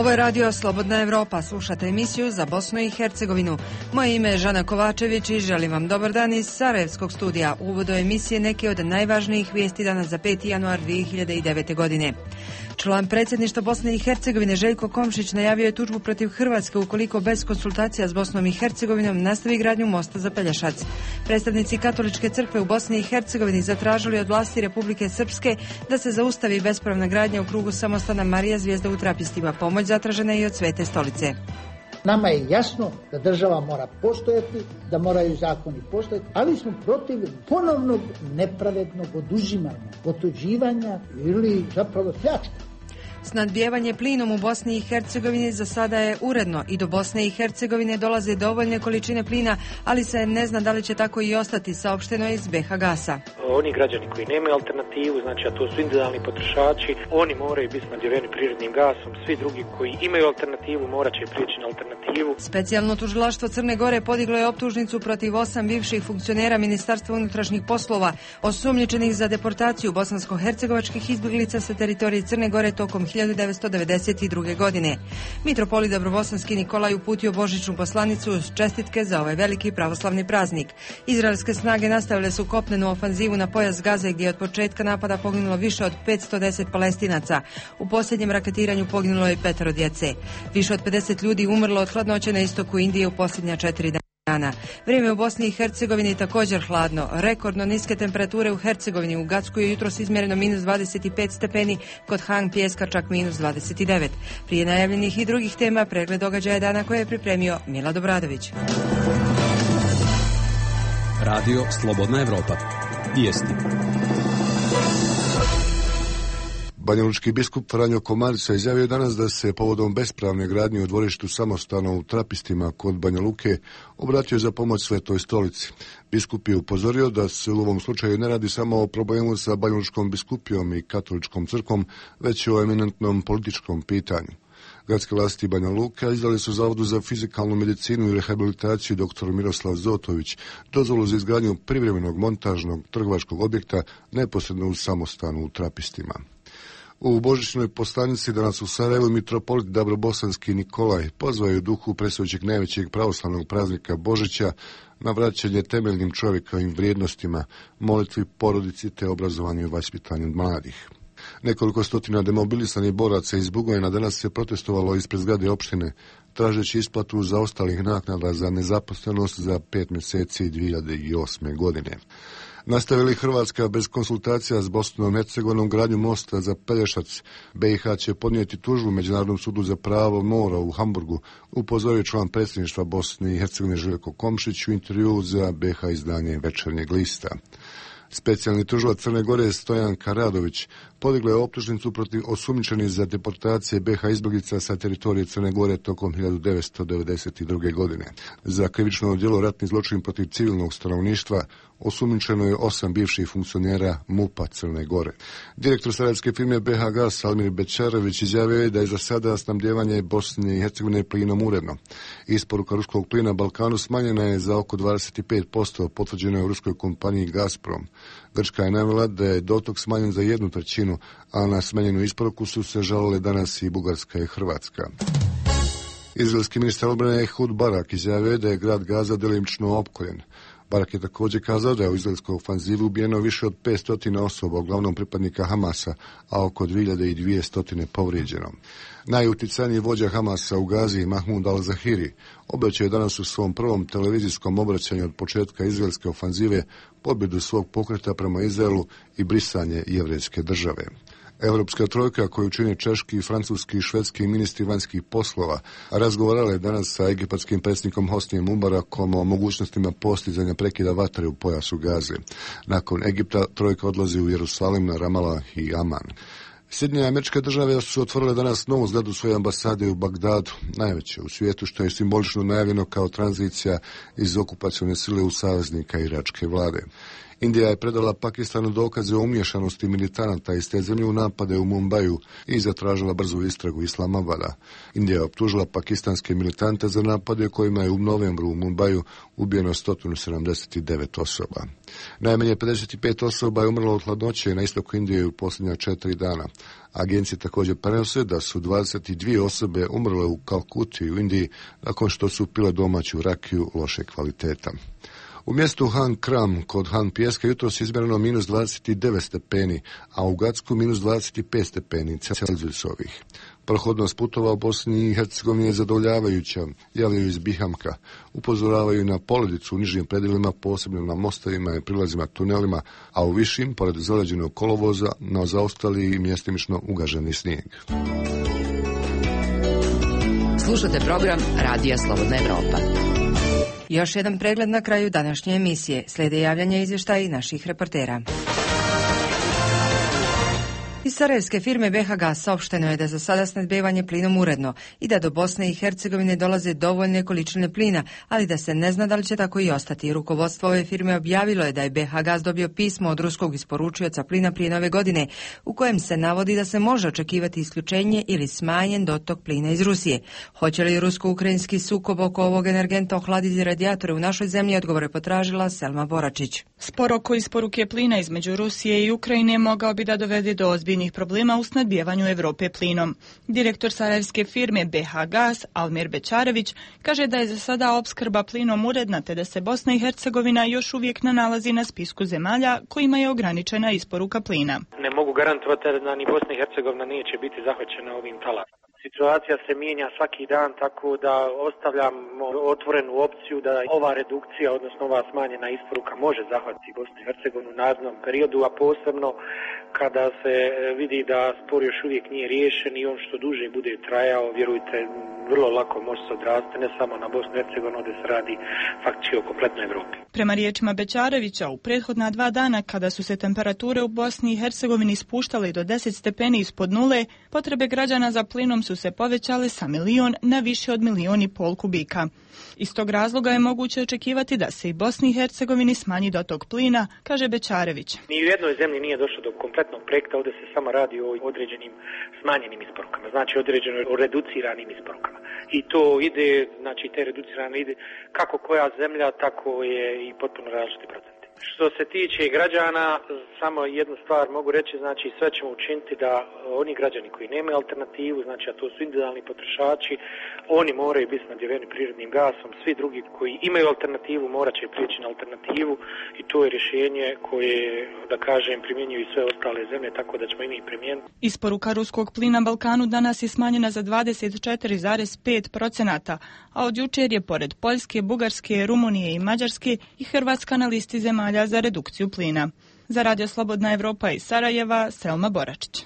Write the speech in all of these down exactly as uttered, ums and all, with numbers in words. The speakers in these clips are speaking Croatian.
Ovo je radio Slobodna Evropa. Slušate emisiju za Bosnu i Hercegovinu. Moje ime je Žana Kovačević i želim vam dobar dan iz Sarajevskog studija. U uvodu emisije neke od najvažnijih vijesti danas za peti januar dvije hiljade devete. godine. Član predsjedništva Bosne i Hercegovine Željko Komšić najavio je tužbu protiv Hrvatske ukoliko bez konsultacija s Bosnom i Hercegovinom nastavi gradnju mosta za Pelješac. Predstavnici Katoličke crkve u Bosni i Hercegovini zatražili od vlasti Republike Srpske da se zaustavi bespravna gradnja u krugu samostana Marija Zvijezda u Trapistima. Pomoć zatražena je i od Svete stolice. Nama je jasno da država mora postojati, da moraju zakoni postojati, ali smo protiv ponovnog nepravednog oduzimanja, otuđivanja ili zapravo pljačka. Snadbijevanje plinom u Bosni i Hercegovini za sada je uredno i do Bosne i Hercegovine dolaze dovoljne količine plina, ali se ne zna da li će tako i ostati, saopšteno iz B H Gasa. Oni građani koji nemaju alternativu, znači a to su individualni potrošači, oni moraju biti snadbijeni prirodnim gasom, svi drugi koji imaju alternativu morat će prijeći na alternativu. Specijalno tužilaštvo Crne Gore podiglo je optužnicu protiv osam bivših funkcionera Ministarstva unutrašnjih poslova, osumnjičenih za deportaciju bosansko-hercegovačkih izbjeglica sa teritorije Crne Gore tokom hiljadu devetsto devedeset druge. godine. Mitropolit Dobrobosanski Nikolaj uputio božićnu poslanicu uz čestitke za ovaj veliki pravoslavni praznik. Izraelske snage nastavile su kopnenu ofanzivu na pojas Gaze gdje je od početka napada poginulo više od petsto deset Palestinaca. U posljednjem raketiranju poginulo je petero djece. Više od pedeset ljudi umrlo od hladnoće na istoku Indije u posljednja četiri dana. Vrijeme u Bosni i Hercegovini također hladno. Rekordno niske temperature u Hercegovini. U Gacku je jutros izmjereno minus dvadeset pet stepeni, kod Hang Pijeska čak minus dvadeset devet. Prije najavljenih i drugih tema pregled događaja dana koje je pripremio Mila Dobradović. Radio Slobodna Evropa. Vijesti. Banjalučki biskup Franjo Komarica izjavio danas da se povodom bespravne gradnje u dvorištu samostana u Trapistima kod Banja Luke obratio za pomoć Svetoj stolici. Biskup je upozorio da se u ovom slučaju ne radi samo o problemu sa Banjalučkom biskupijom i Katoličkom crkvom, već o eminentnom političkom pitanju. Gradske vlasti Banja Luka izdali su Zavodu za fizikalnu medicinu i rehabilitaciju dr. Miroslav Zotović dozvolu za izgradnju privremenog montažnog trgovačkog objekta neposredno u samostanu u Trapistima. U božićnoj poslanici danas u Sarajevu mitropolit Dobrobosanski Nikolaj pozvao je u duhu predstojećeg najvećeg pravoslavnog praznika Božića na vraćanje temeljnim čovjekovim vrijednostima, molitvi, porodici te obrazovanju i vaspitanju mladih. Nekoliko stotina demobilisanih boraca iz Bugojna danas se protestovalo ispred zgrade opštine, tražeći isplatu zaostalih naknada za nezaposlenost za pet mjeseci dvije hiljade osme. godine. Nastavili Hrvatska bez konsultacija s Bosnom i Hercegovinom gradnju mosta za Pelješac, B i H će podnijeti tužbu Međunarodnom sudu za pravo mora u Hamburgu, upozorio član predsjedništva Bosne i Hercegovine Željko Komšić u intervjuu za B H izdanje Večernjeg lista. Specijalni tužilac Crne Gore Stojan Karadović podigla je optužnicu protiv osumnjičenih za deportacije B H izbjeglica sa teritorije Crne Gore tokom hiljadu devetsto devedeset druge. godine. Za krivično djelo ratni zločin protiv civilnog stanovništva osumnjičeno je osam bivših funkcionera MUP-a Crne Gore. Direktor sarajevske firme B H Gas Almir Bečarević izjavio je da je za sada snabdijevanje Bosne i Hercegovine plinom uredno. Isporuka ruskog plina Balkanu smanjena je za oko dvadeset pet posto, potvrđeno je u ruskoj kompaniji Gazprom. Grčka je navela da je dotok smanjen za jednu trećinu, a na smanjenu isporuku su se žalile danas i Bugarska i Hrvatska. Izraelski ministar obrane Ehud Barak izjavio je da je grad Gaza delimično opkoljen. Barak je također kazao da je u izraelskoj ofanzivi ubijeno više od petsto osoba, uglavnom pripadnika Hamasa, a oko dvije hiljade dvjesto povrijeđeno. Najuticajniji vođa Hamasa u Gazi, Mahmud al-Zahiri, obećao je danas u svom prvom televizijskom obraćanju od početka izraelske ofanzive pobjedu svog pokreta prema Izraelu i brisanje jevrejske države. Europska trojka koju čine češki, francuski i švedski ministri vanjskih poslova razgovarala je danas sa egipatskim predsjednikom Hosnijem Mubarakom o mogućnostima postizanja prekida vatre u pojasu Gaze. Nakon Egipta trojka odlazi u Jerusalim, na Ramala i Aman. Sjedinjene Američke Države su otvorile danas novu zgradu svoje ambasade u Bagdadu, najveće u svijetu, što je simbolično najavljeno kao tranzicija iz okupacione sile u saveznika iračke vlade. Indija je predala Pakistanu dokaze o umješanosti militanata iz te zemlje u napade u Mumbaju i zatražila brzu istragu Islamabada. Indija je optužila pakistanske militante za napade kojima je u novembru u Mumbaju ubijeno sto sedamdeset devet osoba. Najmanje pedeset pet osoba je umrlo od hladnoće na istoku Indije u posljednja četiri dana. Agencije također prenose da su dvadeset dvije osobe umrle u Kalkuti u Indiji nakon što su pile domaću rakiju loše kvaliteta. U mjestu Han Kram kod Han Pijeska jutros izmjereno minus dvadeset devet stepeni, a u Gacku minus dvadeset pet stepeni Celzijusovih. Prohodnost putova u Bosni i Hercegovini je zadovoljavajuća, javljaju iz Bihamka. Upozoravaju na poledicu u nižim predjelima, posebno na mostovima i prilazima tunelima, a u višim, pored zaleđenog kolovoza, na zaostali i mjestimično ugaženi snijeg. Slušate program Radija Slobodna Evropa. Još jedan pregled na kraju današnje emisije. Slijede javljanja izvještaja i naših reportera. Iz sarajevske firme B H Gas saopšteno je da za sada snabdijevanje plinom uredno i da do Bosne i Hercegovine dolaze dovoljne količine plina, ali da se ne zna da li će tako i ostati. Rukovodstvo ove firme objavilo je da je B H Gas dobio pismo od ruskog isporučioca plina prije nove godine, u kojem se navodi da se može očekivati isključenje ili smanjen dotok plina iz Rusije. Hoće li rusko-ukrajinski sukob oko ovog energenta ohladiti radijatore u našoj zemlji, odgovore potražila Selma Boračić. Spor oko isporuke plina između Rusije i Ukrajine mogao bi da dovede do ozbiljnih problema u snabdijevanju Evrope plinom. Direktor sarajevske firme B H Gas, Almir Bećarević, kaže da je za sada opskrba plinom uredna, te da se Bosna i Hercegovina još uvijek ne nalazi na spisku zemalja kojima je ograničena isporuka plina. Ne mogu garantovati da ni Bosna i Hercegovina neće biti zahvaćena ovim talasom. Situacija se mijenja svaki dan, tako da ostavljamo otvorenu opciju da ova redukcija, odnosno ova smanjena isporuka može zahvatiti Bosnu i Hercegovinu u narednom periodu, a posebno kada se vidi da spor još uvijek nije riješen i on što duže bude trajao, vjerujte, vrlo lako može se odrasti ne samo na Bosnu i Hercegovinu, gdje se radi faktički o kompletnoj Evropi. Prema riječima Bećarevića, u prethodna dva dana kada su se temperature u Bosni i Hercegovini spuštale do deset stepeni ispod nule, potrebe građana za plinom su se povećale sa milion na više od milion i pol kubika. Iz tog razloga je moguće očekivati da se i Bosni i Hercegovini smanji dotok plina, kaže Bećarević. Ni u jednoj zemlji nije došlo do kompletnog projekta, ovdje se samo radi o određenim smanjenim isporukama, znači određeno o reduciranim isporukama. I to ide, znači te reducirane ide kako koja zemlja, tako je i potpuno različiti procenti. Što se tiče građana, samo jednu stvar mogu reći, znači sve ćemo učiniti da oni građani koji nemaju alternativu, znači a to su individualni potrošači, oni moraju biti snabdijeveni prirodnim gasom, svi drugi koji imaju alternativu morat će prijeći na alternativu i to je rješenje koje, da kažem, primjenjuju i sve ostale zemlje, tako da ćemo i mi primijeniti. Isporuka ruskog plina Balkanu danas je smanjena za dvadeset četiri zarez pet posto, a od jučer je pored Poljske, Bugarske, Rumunije i Mađarske i Hrvatska na listi zemalja za redukciju plina. Za Radio Slobodna Evropa iz Sarajeva, Selma Boračić.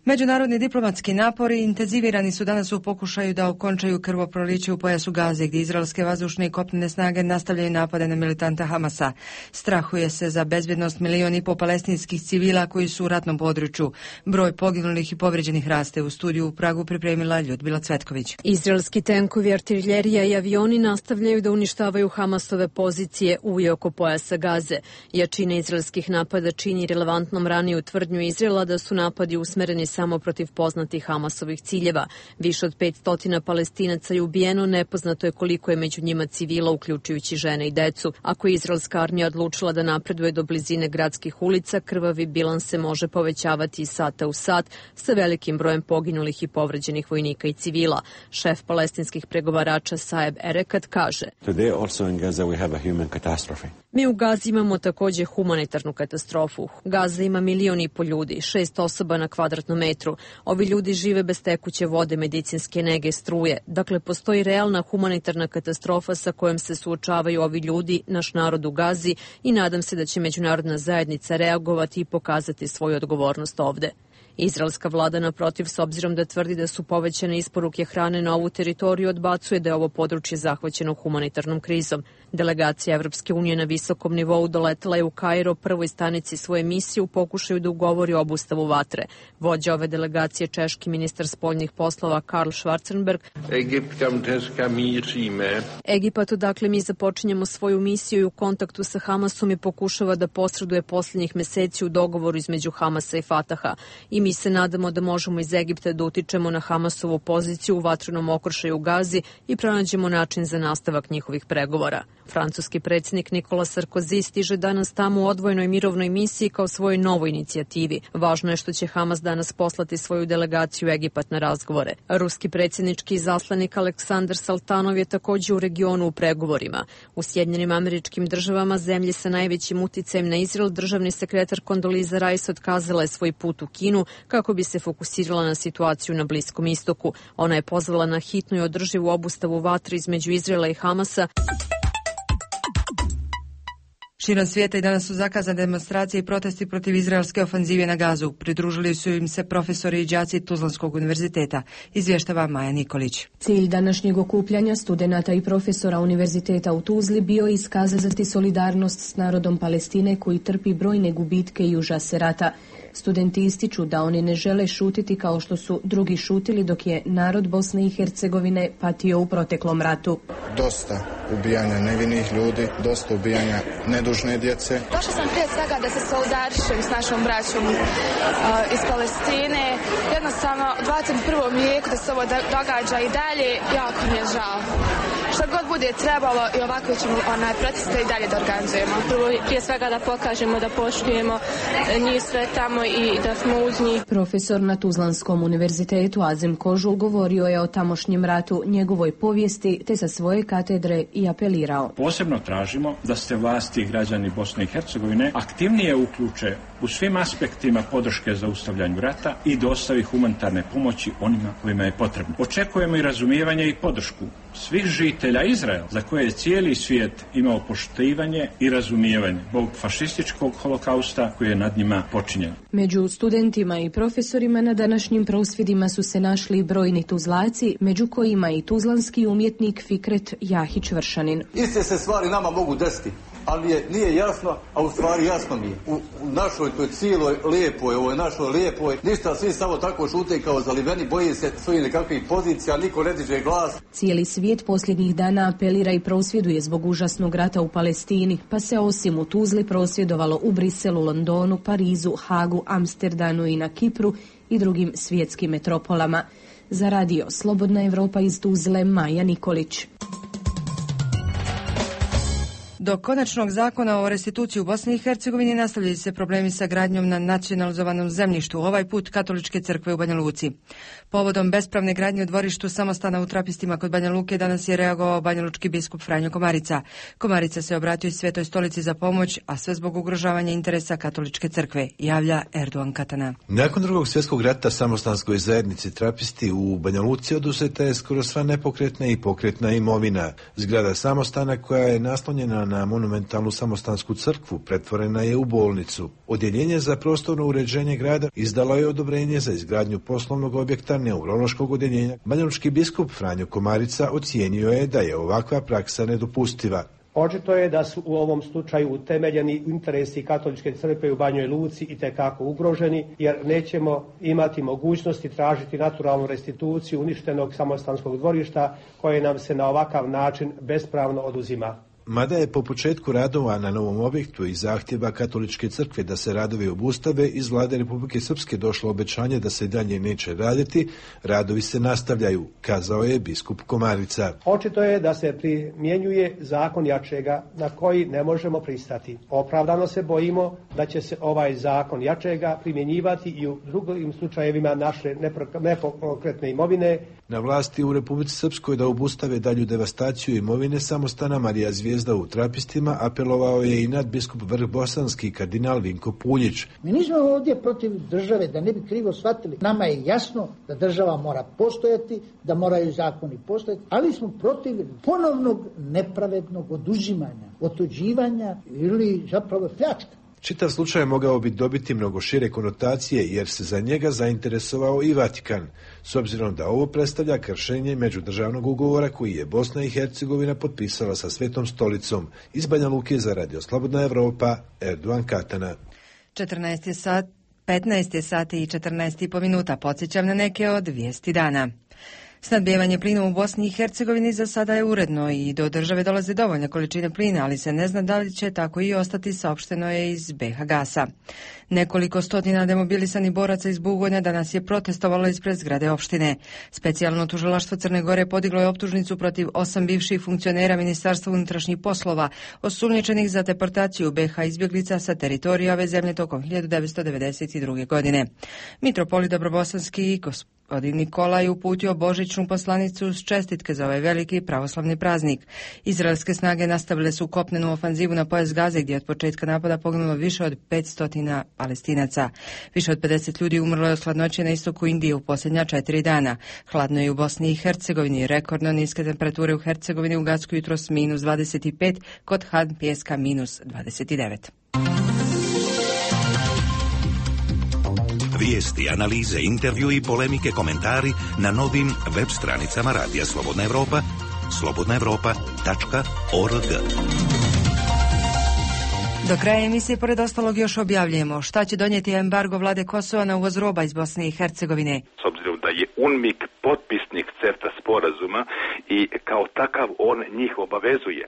Međunarodni diplomatski napori intenzivirani su danas u pokušaju da okončaju krvoproliće u pojasu Gaze, gdje izraelske vazdušne i kopnene snage nastavljaju napade na militante Hamasa. Strahuje se za bezbjednost milion i po palestinskih civila koji su u ratnom području. Broj poginulih i povrijeđenih raste. U studiju u Pragu pripremila Ljudmila Cvetković. Izraelski tenkovi, artiljerija i avioni nastavljaju da uništavaju Hamasove pozicije u i oko pojasa Gaze. Jačina izraelskih napada čini relevantnom raniju tvrdnju Izraela da su napadi usmereni samo protiv poznatih Hamasovih ciljeva. Više od petsto Palestinaca je ubijeno, nepoznato je koliko je među njima civila, uključujući žene i decu. Ako je izraelska armija odlučila da napreduje do blizine gradskih ulica, krvavi bilans se može povećavati iz sata u sat sa velikim brojem poginulih i povređenih vojnika i civila. Šef palestinskih pregovarača Saeb Erekat kaže: Mi u Gazi imamo također humanitarnu katastrofu. Gaza ima milion i po ljudi, šest osoba na kvadratnom metru. Ovi ljudi žive bez tekuće vode, medicinske nege, struje. Dakle, postoji realna humanitarna katastrofa sa kojom se suočavaju ovi ljudi, naš narod u Gazi, i nadam se da će međunarodna zajednica reagovati i pokazati svoju odgovornost ovde. Izraelska vlada naprotiv, s obzirom da tvrdi da su povećane isporuke hrane na ovu teritoriju, odbacuje da je ovo područje zahvaćeno humanitarnom krizom. Delegacija Evropske unije na visokom nivou doletela je u Kairo, prvoj stanici svoje misije, u pokušaju da ugovori obustavu vatre. Vođa ove delegacije, češki ministar spoljnih poslova Karl Schwarzenberg. Egipat, dakle, mi započinjemo svoju misiju i u kontaktu sa Hamasom i pokušava da posreduje posljednjih meseci u dogovoru između Hamasa i Fataha. I mi se nadamo da možemo iz Egipta da utičemo na Hamasovu poziciju u vatrenom okršaju u Gazi i pronađemo način za nastavak njihovih pregovora. Francuski predsjednik Nikola Sarkozy stiže danas tamo u odvojenoj mirovnoj misiji kao svojoj novoj inicijativi. Važno je što će Hamas danas poslati svoju delegaciju u Egipat na razgovore. Ruski predsjednički izaslanik Aleksandar Saltanov je također u regionu u pregovorima. U Sjedinjenim Američkim Državama, zemlji sa najvećim uticajem na Izrael, državni sekretar Condoleezza Rice otkazala je svoj put u Kinu kako bi se fokusirala na situaciju na Bliskom istoku. Ona je pozvala na hitnu i održivu obustavu vatre između Izraela i Hamasa. Širom svijeta i danas su zakazane demonstracije i protesti protiv izraelske ofanzive na Gazu. Pridružili su im se profesori i đaci Tuzlanskog univerziteta. Izvještava Maja Nikolić. Cilj današnjeg okupljanja studenata i profesora univerziteta u Tuzli bio iskazati solidarnost s narodom Palestine koji trpi brojne gubitke i užase rata. Studenti ističu da oni ne žele šutiti kao što su drugi šutili dok je narod Bosne i Hercegovine patio u proteklom ratu. Dosta ubijanja nevinih ljudi, dosta ubijanja nedužne djece. Došla sam prije svega da se solidarišem s našom braćom uh, iz Palestine. Jednostavno, u dvadeset prvom vijeku da se ovo događa i dalje, jako mi je žao. Što god bude trebalo i ovako ćemo onaj proteste i dalje da organizujemo. Prvo, prije svega da pokažemo da poštujemo njih sve tamo i da smo uz njih. Profesor na Tuzlanskom univerzitetu Azem Kožul govorio je o tamošnjem ratu, njegovoj povijesti, te sa svoje katedre i apelirao. Posebno tražimo da se vlasti i građani Bosne i Hercegovine aktivnije uključe u svim aspektima podrške za zaustavljanju rata i dostavi humanitarne pomoći onima kojima je potrebno. Očekujemo i razumijevanje i podršku svih žitelja Izraela, za koje je cijeli svijet imao poštivanje i razumijevanje zbog fašističkog holokausta koji je nad njima počinjen. Među studentima i profesorima na današnjim prosvjedima su se našli brojni Tuzlaci, među kojima i tuzlanski umjetnik Fikret Jahić-Vršanin. Iste se stvari nama mogu desiti, ali je, nije jasno, a u stvari jasno mi je. U, u našoj toj cijeloj lijepoj, ovoj našoj lijepoj, ništa, svi samo tako šute kao zaliveni, boji se svojih nekakvih pozicija, niko ne diže glas. Cijeli svijet posljednjih dana apelira i prosvjeduje zbog užasnog rata u Palestini, pa se osim u Tuzli prosvjedovalo u Briselu, Londonu, Parizu, Hagu, Amsterdanu i na Kipru i drugim svjetskim metropolama. Za radio Slobodna Evropa iz Tuzle, Maja Nikolić. Do konačnog zakona o restituciji u Bosni i Hercegovini nastavljaju se problemi sa gradnjom na nacionalizovanom zemljištu, ovaj put Katoličke crkve u Banja Luci. Povodom bespravne gradnje u dvorištu samostana u Trapistima kod Banja Luke danas je reagovao banjalučki biskup Franjo Komarica. Komarica se obratio i Svetoj stolici za pomoć, a sve zbog ugrožavanja interesa Katoličke crkve, javlja Erdogan Katana. Nakon drugog svjetskog rata samostanskoj zajednici Trapisti u Banja Luci oduzeta je skoro sva nepokretna i pokretna imovina. Zgrada samostana koja je naslonjena na monumentalnu samostansku crkvu pretvorena je u bolnicu. Odjeljenje za prostorno uređenje grada izdalo je odobrenje za izgradnju poslovnog objekta neurološkog odjeljenja. Banjalučki biskup Franjo Komarica ocijenio je da je ovakva praksa nedopustiva. Očito je da su u ovom slučaju utemeljeni interesi Katoličke crkve u Banjoj Luci i tekako ugroženi, jer nećemo imati mogućnosti tražiti naturalnu restituciju uništenog samostanskog dvorišta koje nam se na ovakav način bespravno oduzima. Mada je po početku radova na novom objektu i zahtjeva Katoličke crkve da se radovi obustave, iz vlade Republike Srpske došlo obećanje da se dalje neće raditi, radovi se nastavljaju, kazao je biskup Komarica. Očito je da se primjenjuje zakon jačega na koji ne možemo pristati. Opravdano se bojimo da će se ovaj zakon jačega primjenjivati i u drugim slučajevima naše nepokretne imovine. Na vlasti u Republici Srpskoj da obustave dalju devastaciju imovine samostana Marija Zvijezda u Trapistima apelovao je i nadbiskup Vrhbosanski kardinal Vinko Puljić. Mi nismo ovdje protiv države, da ne bi krivo shvatili. Nama je jasno da država mora postojati, da moraju zakoni postojati, ali smo protiv ponovnog nepravednog oduzimanja, otuđivanja ili zapravo pljačka. Čitav slučaj mogao bi dobiti mnogo šire konotacije jer se za njega zainteresovao i Vatikan, s obzirom da ovo predstavlja kršenje međudržavnog ugovora koji je Bosna i Hercegovina potpisala sa Svetom stolicom. Iz Banja Luke za Radio Slobodna Evropa, Erdogan Katana. četrnaest je sat, petnaest je sati i četrnaest i po minuta. Podsjećam na neke od vijesti dana. Snadbijevanje plinom u Bosni i Hercegovini za sada je uredno i do države dolaze dovoljne količine plina, ali se ne zna da li će tako i ostati, saopšteno je iz B H Gasa. Nekoliko stotina demobilisanih boraca iz Bugonja danas je protestovalo ispred zgrade opštine. Specijalno tužilaštvo Crne Gore podiglo je optužnicu protiv osam bivših funkcionera Ministarstva unutrašnjih poslova, osumnjičenih za deportaciju B H izbjeglica sa teritorija ove zemlje tokom hiljadu devetsto devedeset druge. godine. Mitropolit Dobrobosanski i gospodin Nikolaj uputio božićnu poslanicu s čestitke za ovaj veliki pravoslavni praznik. Izraelske snage nastavile su kopnenu ofanzivu na pojas Gaze, gdje je od početka napada poginulo više od petsto Palestinaca. Više od pedeset ljudi umrlo je od hladnoće na istoku Indije u posljednja četiri dana. Hladno je u Bosni i Hercegovini. Rekordno niske temperature u Hercegovini u Gacku jutros minus dvadeset pet, kod Han Pijeska minus dvadeset devet. Vijesti, analize, intervju i polemike, komentari na novim web stranicama Radija Slobodna Evropa, slobodna evropa tačka org. Do kraja emisije, pored ostalog, još objavljujemo šta će donijeti embargo vlade Kosova na uvoz roba iz Bosne i Hercegovine. S obzirom da je UNMIK potpisnik CEFTA sporazuma i kao takav on njih obavezuje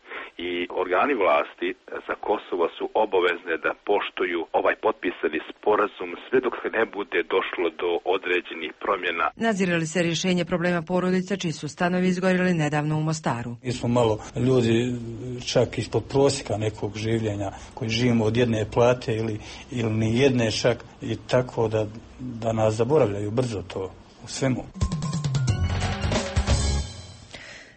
i organi vlasti za Kosovo su obavezne da poštuju ovaj potpisani sporazum sve dok se ne bude došlo do određenih promjena. Nazire li se rješenje problema porodica čiji su stanovi izgorili nedavno u Mostaru? Mi smo malo ljudi čak ispod prosjeka nekog življenja koji živimo od jedne plate ili, ili ni jedne čak i tako da, da nas zaboravljaju brzo to u svemu.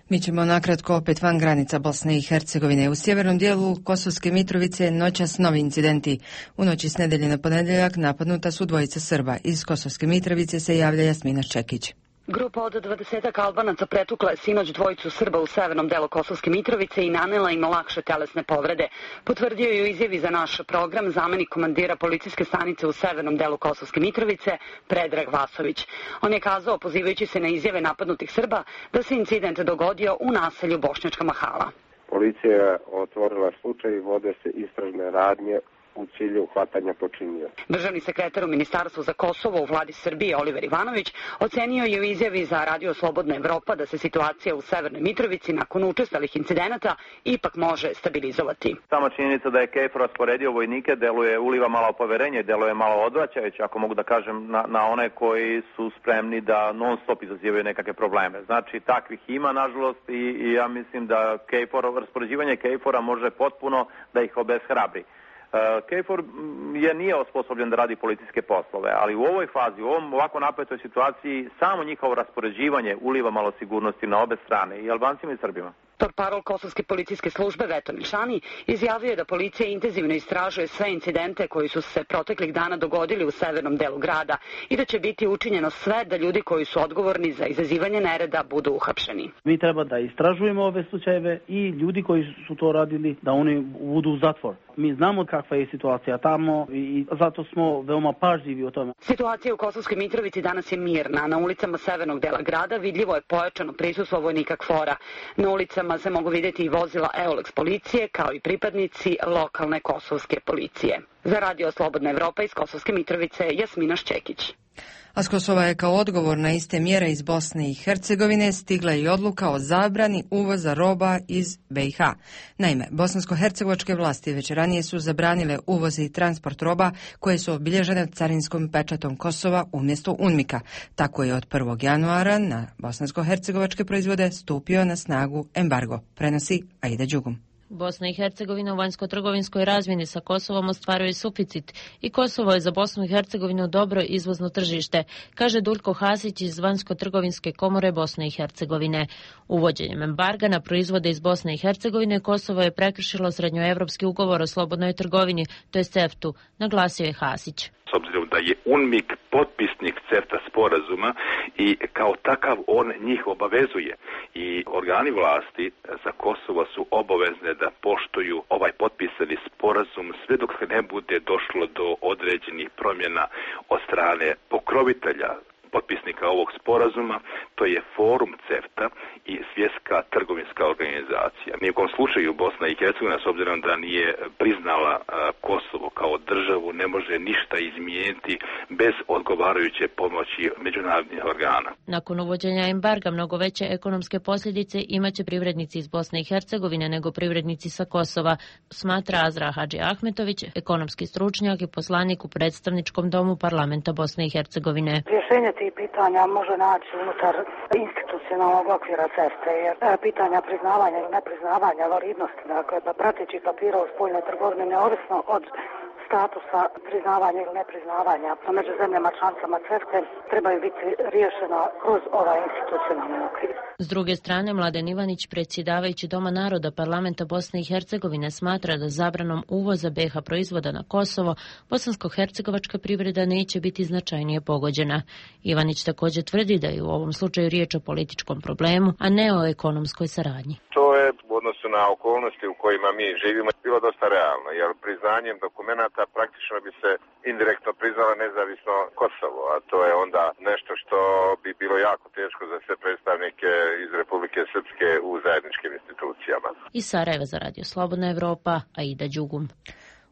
Mi ćemo nakratko opet van granica Bosne i Hercegovine. U sjevernom dijelu Kosovske Mitrovice noćas novi incidenti. U noći s nedelje na ponedjeljak napadnuta su dvojica Srba. Iz Kosovske Mitrovice se javlja Jasmina Čekić. Grupa od dvadesetak Albanaca pretukla je sinoć dvojicu Srba u severnom delu Kosovske Mitrovice i nanela im lakše telesne povrede. Potvrdio je u izjavi za naš program zamenik komandira policijske stanice u severnom delu Kosovske Mitrovice, Predrag Vasović. On je kazao, pozivajući se na izjave napadnutih Srba, da se incident dogodio u naselju Bošnjačka Mahala. Policija je otvorila slučaj i vode se istražne radnje u cilju hvatanja počinioca. Državni sekretar u Ministarstvu za Kosovo u vladi Srbije Oliver Ivanović ocenio je u izjavi za Radio Slobodna Evropa da se situacija u Severnoj Mitrovici nakon učestalih incidenata ipak može stabilizovati. Sama činjenica da je KFOR rasporedio vojnike deluje, uliva malo poverenje, deluje malo odvraćajuće, ako mogu da kažem, na, na one koji su spremni da non stop izazivaju nekakve probleme. Znači, takvih ima, nažalost, i, i ja mislim da KFOR, raspoređivanje KFOR-a može potpuno da ih obeshrabri. KFOR je nije osposobljen da radi policijske poslove, ali u ovoj fazi, u ovom ovako napetoj situaciji, samo njihovo raspoređivanje uliva malo sigurnosti na obe strane, i Albancima i Srbima. Portparol Kosovske policijske službe Veto Milšani izjavio je da policija intenzivno istražuje sve incidente koji su se proteklih dana dogodili u severnom delu grada i da će biti učinjeno sve da ljudi koji su odgovorni za izazivanje nereda budu uhapšeni. Mi treba da istražujemo ove slučajeve i ljudi koji su to radili da oni budu u zatvor. Mi znamo kakva je situacija tamo i zato smo veoma pažljivi o tome. Situacija u Kosovskoj Mitrovici danas je mirna. Na ulicama severnog dela grada vidljivo je pojačano prisustvo vojnika KFOR-a. Na ulicama se mogu vidjeti i vozila Eulex policije kao i pripadnici lokalne kosovske policije. Za Radio Slobodna Evropa iz Kosovske Mitrovice, Jasmina Ščekić. A s Kosova je kao odgovor na iste mjere iz Bosne i Hercegovine stigla i odluka o zabrani uvoza roba iz B i H. Naime, bosansko-hercegovačke vlasti već ranije su zabranile uvoz i transport roba koje su obilježene carinskom pečatom Kosova umjesto UNMIK-a. Tako je od prvog januara na bosansko-hercegovačke proizvode stupio na snagu embargo, prenosi Aida Đugum. Bosna i Hercegovina u vanjsko-trgovinskoj razmjeni sa Kosovom ostvaruje suficit i Kosovo je za Bosnu i Hercegovinu dobro izvozno tržište, kaže Duljko Hasić iz Vanjsko-trgovinske komore Bosne i Hercegovine. Uvođenjem embarga na proizvode iz Bosne i Hercegovine Kosovo je prekršilo srednjoevropski ugovor o slobodnoj trgovini, to je CEFTA-u, naglasio je Hasić. s obzirom da je UNMIK potpisnik CEFTA sporazuma i kao takav on njih obavezuje. I organi vlasti za Kosovo su obavezne da poštuju ovaj potpisani sporazum sve dok ne bude došlo do određenih promjena od strane pokrovitelja potpisnika ovog sporazuma, to je forum CEFTA i Svjetska trgovinska organizacija. Ni u kom slučaju Bosna i Hercegovina, s obzirom da nije priznala Kosovo kao državu, ne može ništa izmijeniti bez odgovarajuće pomoći međunarodnih organa. Nakon uvođenja embarga mnogo veće ekonomske posljedice imaće privrednici iz Bosne i Hercegovine nego privrednici sa Kosova, smatra Azra Hadži Ahmetović, ekonomski stručnjak i poslanik u predstavničkom domu parlamenta Bosne i Hercegovine. Rješenje tih pitanja može naći unutar institucionalnog okvira CEFTA, jer pitanja priznavanja ili nepriznavanja validnosti, dakle, da prateći papira u spoljnoj trgovini neovisno od statusa priznavanja ili nepriznavanja među zemljama članicama CEFTA trebaju biti riješena kroz ovaj institucionalni okvir. S druge strane, Mladen Ivanić, predsjedavajući Doma naroda parlamenta Bosne i Hercegovine, smatra da zabranom uvoza B iH proizvoda na Kosovo bosansko-hercegovačka privreda neće biti značajnije pogođena. Ivanić također tvrdi da je u ovom slučaju riječ o političkom problemu, a ne o ekonomskoj saradnji. To je u odnosu na okolnosti u kojima mi živimo bilo dosta realno, jer priznanjem dokumenata praktično bi se indirektno priznalo nezavisno Kosovo, a to je onda nešto što bi bilo jako teško za sve predstavnike iz Republike Srpske u zajedničkim institucijama. Iz Sarajeva za Radio Slobodna Evropa, Aida Đugum.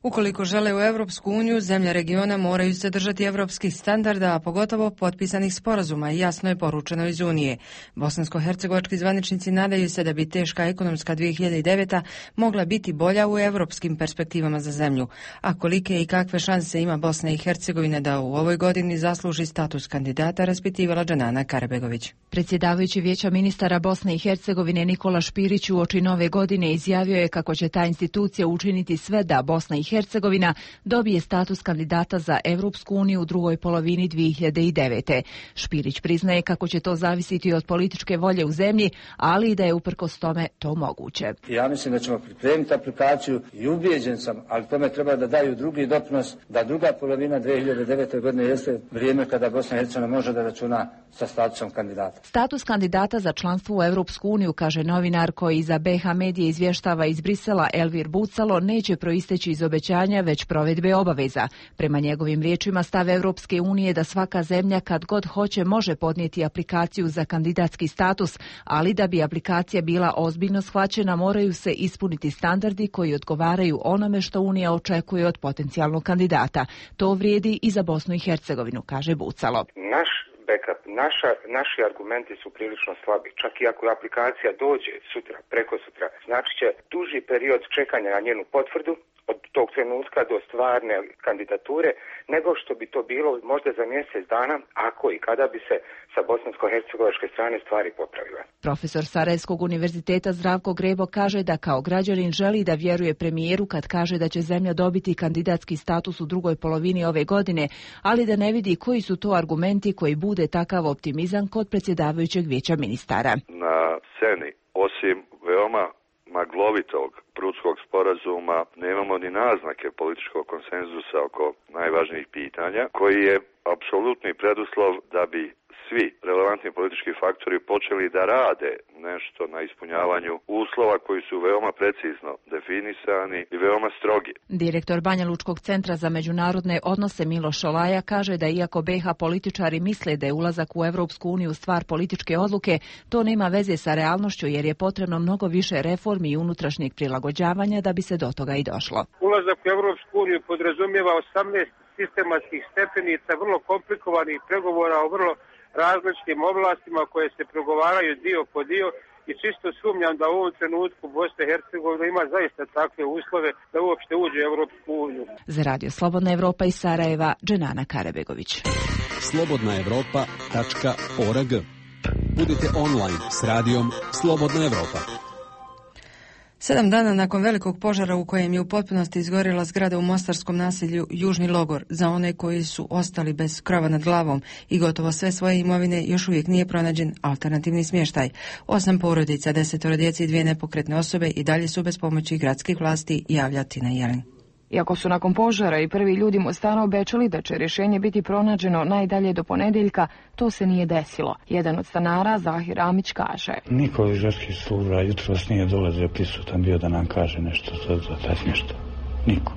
Ukoliko žele u Europsku uniju, zemlje regiona moraju se držati evropskih standarda, a pogotovo potpisanih sporazuma, i jasno je poručeno iz Unije. Bosansko-hercegovački zvaničnici nadaju se da bi teška ekonomska dvije hiljade deveta mogla biti bolja u evropskim perspektivama za zemlju. A kolike i kakve šanse ima Bosna i Hercegovina da u ovoj godini zasluži status kandidata, raspitivala Dženana Karabegović. Predsjedavajući Vijeća ministara Bosne i Hercegovine Nikola Špirić uoči nove godine izjavio je kako će ta institucija učiniti sve da Bosna i Hercegovina dobije status kandidata za Europsku uniju u drugoj polovini dvije hiljade devete. Špirić priznaje kako će to zavisiti od političke volje u zemlji, ali i da je uprkos tome to moguće. Ja mislim da ćemo pripremiti aplikaciju i ubijeđen sam, ali tome treba da daju drugi doprinos, da druga polovina dvije hiljade devete. godine jeste vrijeme kada Bosna i Hercegovina može da računa sa statusom kandidata. Status kandidata za članstvo u Europsku uniju, kaže novinar koji za B iH medije izvještava iz Brisela Elvir Bucalo, neće proisteći iz obećanja, već provedbe obaveza. Prema njegovim riječima, stav Europske unije da svaka zemlja kad god hoće može podnijeti aplikaciju za kandidatski status, ali da bi aplikacija bila ozbiljno shvaćena moraju se ispuniti standardi koji odgovaraju onome što Unija očekuje od potencijalnog kandidata. To vrijedi i za Bosnu i Hercegovinu, kaže Bucalo. Naš backup, naša, naši argumenti su prilično slabi. Čak i ako aplikacija dođe sutra, preko sutra, znači će duži period čekanja na njenu potvrdu od tog trenutka do stvarne kandidature, nego što bi to bilo možda za mjesec dana, ako i kada bi se sa bosansko-hercegovačke strane stvari popravile. Profesor Sarajevskog univerziteta Zdravko Grebo kaže da kao građanin želi da vjeruje premijeru kad kaže da će zemlja dobiti kandidatski status u drugoj polovini ove godine, ali da ne vidi koji su to argumenti koji bude takav optimizam kod predsjedavajućeg Vijeća ministara. Na sceni, osim veoma maglovitog Prutskog sporazuma, nemamo ni naznake političkog konsenzusa oko najvažnijih pitanja, koji je apsolutni preduslov da bi svi relevantni politički faktori počeli da rade nešto na ispunjavanju uslova koji su veoma precizno definisani i veoma strogi. Direktor Banja Lučkog centra za međunarodne odnose Miloš Olaja kaže da iako B iH političari misle da je ulazak u Europsku uniju stvar političke odluke, to nema veze sa realnošću jer je potrebno mnogo više reformi i unutrašnjeg prilagođavanja da bi se do toga i došlo. Ulazak u Europsku uniju podrazumijeva osamnaest sistematskih stepenica, vrlo komplikovanih pregovora o vrlo različitim oblastima koje se pregovaraju dio po dio i čisto sumnjam da u ovom trenutku Bosna i Hercegovina ima zaista takve uslove da uopšte uđe u Europsku uniju. Za Radio Slobodna Evropa iz Sarajeva, Dženana Karabegović. slobodna evropa tačka org. Budite online s radijom Slobodna Evropa. Sedam dana nakon velikog požara u kojem je u potpunosti izgorjela zgrada u mostarskom naselju Južni Logor, za one koji su ostali bez krova nad glavom i gotovo sve svoje imovine, još uvijek nije pronađen alternativni smještaj. Osam porodica, desetoro djece i dvije nepokretne osobe i dalje su bez pomoći gradskih vlasti, javlja Tina Jelin. Iako su nakon požara i prvi ljudi Mostara obećali da će rješenje biti pronađeno najdalje do ponedjeljka, to se nije desilo. Jedan od stanara, Zahir Amić, kaže: Niko iz žarskih služba jutros nije dolazio prisutan bio da nam kaže nešto za, za taj smještaj. Niko.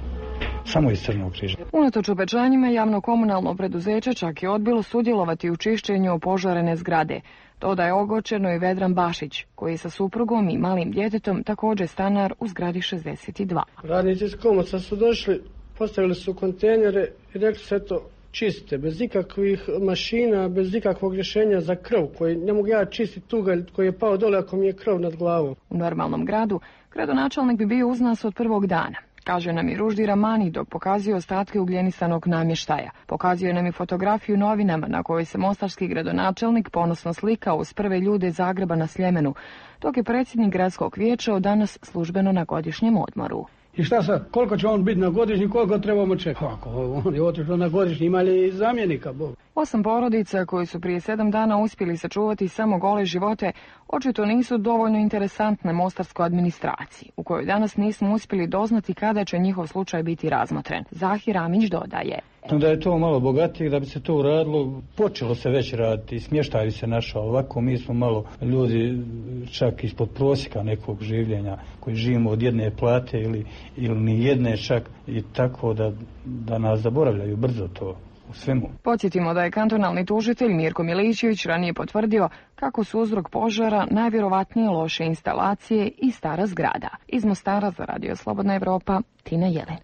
Samo iz Crnog križa. Unatoč obećanjima, javno-komunalno preduzeće čak je odbilo sudjelovati u čišćenju opožarene zgrade. Dodaje ogorčeno i Vedran Bašić, koji je sa suprugom i malim djetetom također stanar u zgradi šezdeset dva. Radnici iz Komoca su došli, postavili su kontejnere i rekli se to čiste, bez ikakvih mašina, bez ikakvog rješenja za krv, koji ne mogu ja čistiti tugalj koji je pao dole ako mi je krv nad glavom. U normalnom gradu gradonačelnik bi bio uz nas od prvog dana. Kaže nam i Ruždi Ramani dok pokazuje ostatke ugljenisanog namještaja. Pokazuje nam i fotografiju novinama na kojoj se mostarski gradonačelnik ponosno slikao uz prve ljude Zagreba na Sljemenu, dok je predsjednik gradskog vijeća od danas službeno na godišnjem odmoru. I šta sad, koliko će on biti na godišnji, koliko trebamo čekati? Ako on je otišao na godišnji, ima li zamjenika, Bog? Osam porodica koji su prije sedam dana uspjeli sačuvati samo gole živote, očito nisu dovoljno interesantne mostarskoj administraciji, u kojoj danas nismo uspjeli doznati kada će njihov slučaj biti razmotren. Zahir Amić dodaje: Da je to malo bogatije, da bi se to uradilo, počelo se već raditi, smještaj se našao. Ovako mi smo malo ljudi čak ispod prosjeka nekog življenja, koji živimo od jedne plate ili, ili ni jedne čak, i tako da, da nas zaboravljaju brzo to. U svemu. Podsjetimo da je kantonalni tužitelj Mirko Milićević ranije potvrdio kako su uzrok požara najvjerovatnije loše instalacije i stara zgrada. Iz Mostara za Radio Slobodna Evropa, Tina Jelen.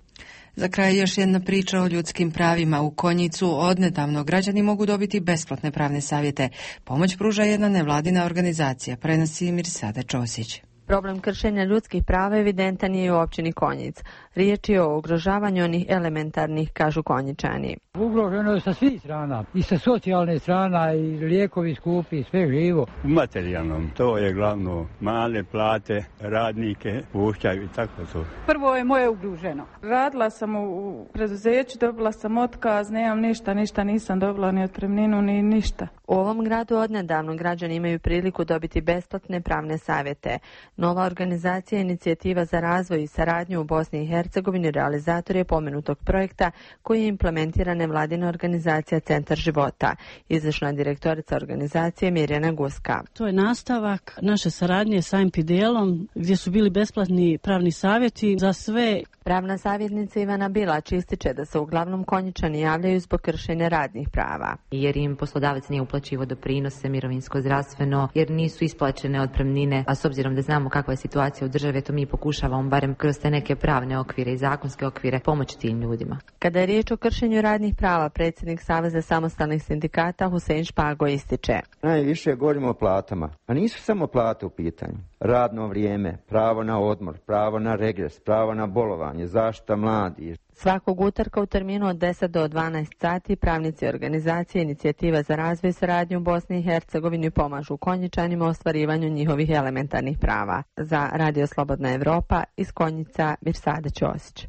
Za kraj još jedna priča o ljudskim pravima. U Konjicu odnedavno građani mogu dobiti besplatne pravne savjete. Pomoć pruža jedna nevladina organizacija, prenosi Mirsada Ćosić. Problem kršenja ljudskih prava evidentan je i u općini Konjic. Riječ je o ugrožavanju onih elementarnih, kažu Konjičani. Ugroženo je sa svih strana, i sa socijalne strana, i lijekovi skupi, sve živo. U materijalnom, to je glavno, male plate, radnike puštaju i tako to. Prvo je moje ugroženo. Radila sam u preduzeću, dobila sam otkaz, nemam ništa, ništa nisam dobila, ni otpremninu, ni ništa. U ovom gradu odnedavno građani imaju priliku dobiti besplatne pravne savjete. Nova organizacija Inicijativa za razvoj i saradnju u Bosni i Hercegovini realizator je pomenutog projekta koji je implementira nevladina organizacija Centar života. Izvršna direktorica organizacije Mirjana Guska. To je nastavak naše saradnje sa em pe de elom gdje su bili besplatni pravni savjeti za sve. Pravna savjetnica Ivana Bilać ističe da se uglavnom Konjičani javljaju zbog kršenja radnih prava. Jer im poslodavac nije uplaćivao doprinose, mirovinsko, zdravstveno, jer nisu isplaćene otpremnine, a s obzirom da znamo kakva je situacija u državi, to mi pokušavamo barem kroz te neke pravne okvire i zakonske okvire pomoći tim ljudima. Kada je riječ o kršenju radnih prava, predsjednik Saveza samostalnih sindikata Husein Špago ističe: Najviše govorimo o platama, a nisu samo plate u pitanju. Radno vrijeme, pravo na odmor, pravo na regres, pravo na bolovanje, zaštita mladih. Svakog utorka u terminu od deset do dvanaest sati pravnici organizacije Inicijativa za razvoj i saradnju u Bosni i Hercegovini pomažu Konjičanima u ostvarivanju njihovih elementarnih prava. Za Radio Slobodna Evropa iz Konjica, Mirsada Ćosić.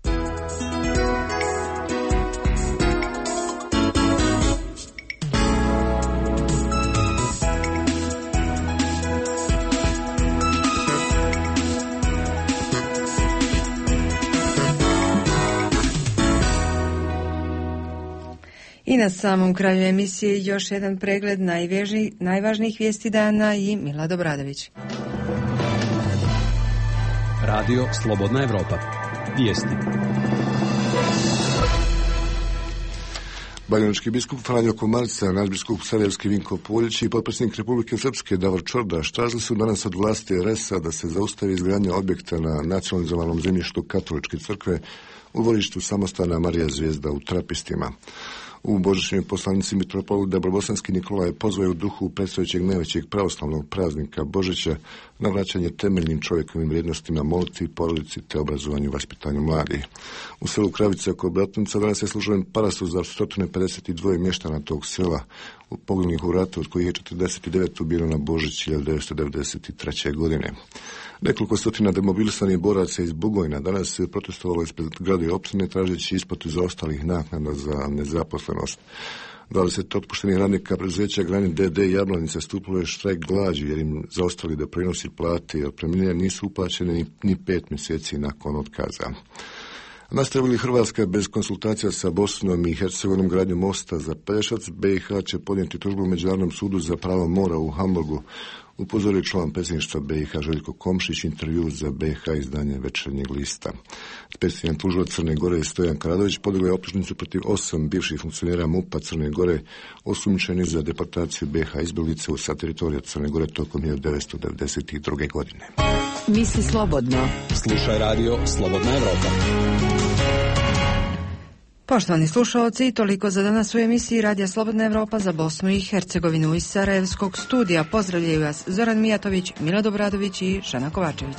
I na samom kraju emisije još jedan pregled najveži, najvažnijih vijesti dana i Milad Obradović. Radio Slobodna Evropa. Vijesti. Banjalučki biskup Franjo Komarca, nadbiskup Sarajevski Vinko Poljić i potpredsjednik Republike Srpske Davor Čordaš tražili su danas od vlasti er es a da se zaustavi izgradnja objekta na nacionalizovanom zemljištu Katoličke crkve u dvorištu samostana Marija Zvijezda u Trapistima. U božićnjoj poslanici mitropolit Dabrobosanski Nikolaj pozvao u duhu predstojećeg najvećeg pravoslavnog praznika Božića na vraćanje temeljnim čovjekovim vrijednostima, molitvi, porodici te obrazovanju i vaspitanju mladih. U selu Kravice oko Bratnica danas je služben parasus za sto pedeset dva mještana tog sela poginulih u ratu, od kojih je četrdeset devet ubijeno na Božić hiljadu devetsto devedeset treće. godine. Nekoliko stotina demobilisanih boraca iz Bugojna danas se protestovalo ispred grada i općine tražeći isplatu zaostalih naknada za nezaposlenost. dvadeset otpuštenih radnika preduzeća Granit de de Jablanica stupilo je štrajk glađu jer im zaostali doprinosi, plate i otpremnine nisu uplaćene ni, ni pet mjeseci nakon otkaza. Nastavili Hrvatska bez konsultacija sa Bosnom i Hercegovinom gradnju mosta za Pelješac, B i H će podnijeti tužbu u Međunarodnom sudu za pravo mora u Hamburgu, upozorio član predsjedništva B i H Željko Komšić, intervju za B i H izdanje Večernjeg lista. Specijalni tužilac Crne Gore Stojan Karadović podigao je optužnicu protiv osam bivših funkcionera MUP-a Crne Gore osumnjičeni za deportaciju B i H izbjeglica sa teritorija Crne Gore tokom hiljadu devetsto devedeset druge. godine. Misli slobodno. Slušaj radio Slobodna Evropa. Poštovani slušalci, toliko za danas u emisiji Radija Slobodna Evropa za Bosnu i Hercegovinu iz Sarajevskog studija. Pozdravljaju vas Zoran Mijatović, Milad Obradović i Šana Kovačević.